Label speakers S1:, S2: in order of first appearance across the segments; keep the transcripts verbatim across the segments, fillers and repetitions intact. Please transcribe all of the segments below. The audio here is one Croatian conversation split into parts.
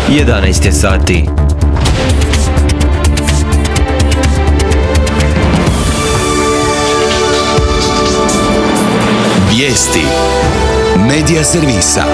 S1: jedanaest je sati.
S2: Vijesti Medija servisa.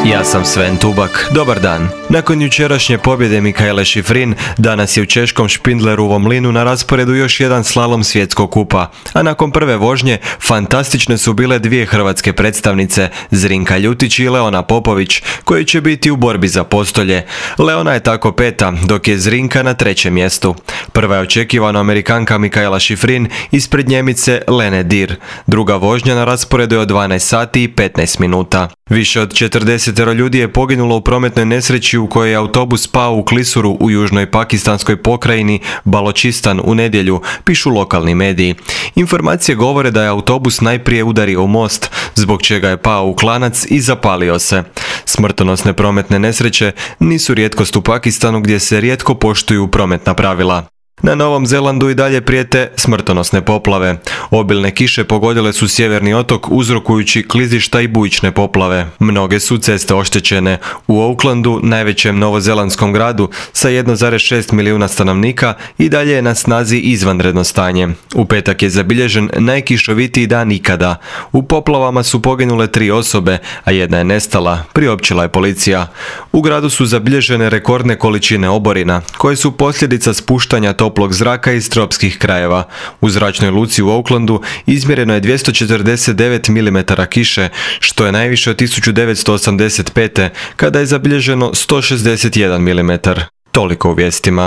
S1: Ja sam Sven Tubak, dobar dan. Nakon jučerašnje pobjede Mikaele Shiffrin, danas je u češkom Špindlerovom mlinu na rasporedu još jedan slalom svjetskog kupa, a nakon prve vožnje fantastične su bile dvije hrvatske predstavnice, Zrinka Ljutić i Leona Popović, koji će biti u borbi za postolje. Leona je tako peta, dok je Zrinka na trećem mjestu. Prva je očekivana Amerikanka Mikaela Shiffrin ispred Njemice Lene Dir. Druga vožnja na rasporedu je od dvanaest sati i petnaest minuta. Više od četrdeset ljudi je poginulo u prometnoj nesreći u kojoj je autobus pao u klisuru u južnoj pakistanskoj pokrajini Baločistan u nedjelju, pišu lokalni mediji. Informacije govore da je autobus najprije udario u most, zbog čega je pao u klanac i zapalio se. Smrtonosne prometne nesreće nisu rijetkost u Pakistanu, gdje se rijetko poštuju prometna pravila. Na Novom Zelandu i dalje prijete smrtonosne poplave. Obilne kiše pogodile su sjeverni otok uzrokujući klizišta i bujične poplave. Mnoge su ceste oštećene. U Aucklandu, najvećem novozelandskom gradu sa jedan zarez šest milijuna stanovnika, i dalje je na snazi izvanredno stanje. U petak je zabilježen najkišovitiji dan ikada. U poplavama su poginule tri osobe, a jedna je nestala, priopćila je policija. U gradu su zabilježene rekordne količine oborina, koje su posljedica spuštanja toplog zraka iz tropskih krajeva. U zračnoj luci u Aucklandu izmjereno je dvjesto četrdeset devet milimetara kiše, što je najviše od tisuću devetsto osamdeset pete. kada je zabilježeno sto šezdeset jedan milimetar. Toliko u vijestima.